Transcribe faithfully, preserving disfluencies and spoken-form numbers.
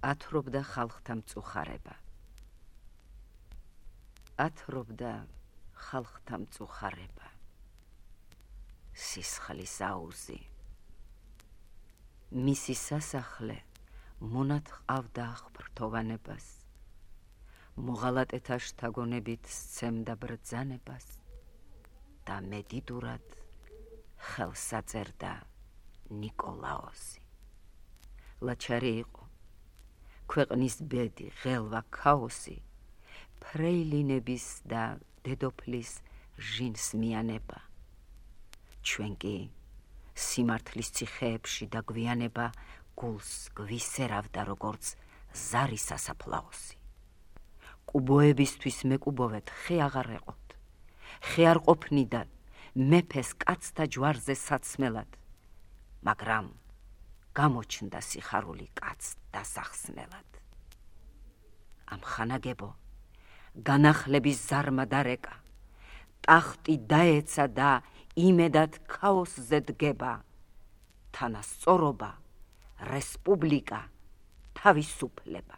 ათრობდა ხალხთა მწუხარება. ათრობდა ხალხთა მწუხარება. სისხლის აუზი. მისი სასახლე მონად ყავდა ხრთოვანებას. მოღალატეთა შთაგონებით სცემდა ბრძანებას და მედიდურად ხელს აწერდა ნიკოლაოსი. ლაჩარი იყო, ქვეყნის ბედი, ღელვა, ქაოსი, ფრეილინების და დედოფლის ჟინსმიანება. ჩვენ კი სიმართლის ციხეებში და გვიანება გულს გვისერავდა როგორც ზარის სასაფლაოსი. კუბოებისთვის მეკუბოვეთ, ხე აღარ ეყოთ, ხე არ ყოფნიდა მეფეს კაცთა ჯვარზე საცმელად, მაგრამ გამოჩნდა სიხარული კაც დასახსნელად. ამ ხანაგებო განახლების ზარმა დარეკა, ტახტი დაეცა და იმედად ქაოსზე დგება, თანასწორობა, რესპუბლიკა, თავისუფლება.